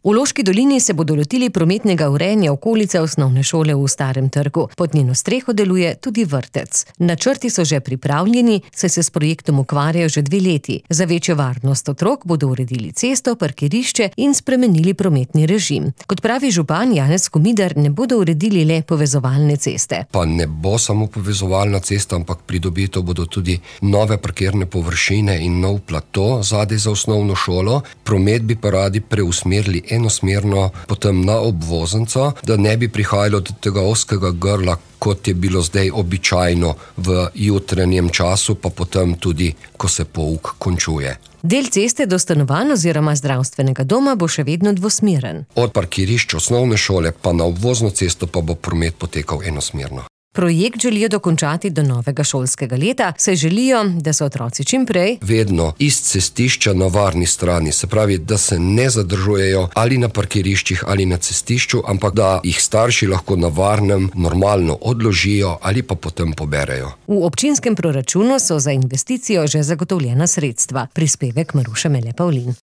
V Loški dolini se bodo lotili prometnega urejanja okolice osnovne šole v Starem trgu. Pod njeno streho deluje tudi vrtec. Načrti so že pripravljeni, saj se s projektom ukvarjajo že 2 leti. Za večjo varnost otrok bodo uredili cesto, parkirišče in spremenili prometni režim. Kot pravi župan Janez Komidar, ne bodo uredili le povezovalne ceste. Pa ne bo samo povezovalna cesta, ampak pridobito bodo tudi nove parkirne površine in nov plato zadaj za osnovno šolo. Promet bi pa radi preusmerili enosmerno potem na obvoznico, da ne bi prihajalo do tega ozkega grla, kot je bilo zdaj običajno v jutranjem času, pa potem tudi, ko se pouk končuje. Del ceste do stanovanj oziroma zdravstvenega doma bo še vedno dvosmeren. Od parkirišč osnovne šole pa na obvozno cesto pa bo promet potekal enosmerno. Projekt želijo dokončati do novega šolskega leta, saj želijo, da so otroci čim prej vedno iz cestišča na varni strani, se pravi, da se ne zadržujejo ali na parkiriščih ali na cestišču, ampak da jih starši lahko na varnem normalno odložijo ali pa potem poberejo. V občinskem proračunu so za investicijo že zagotovljena sredstva. Prispevek Maruše Mele Pavlin.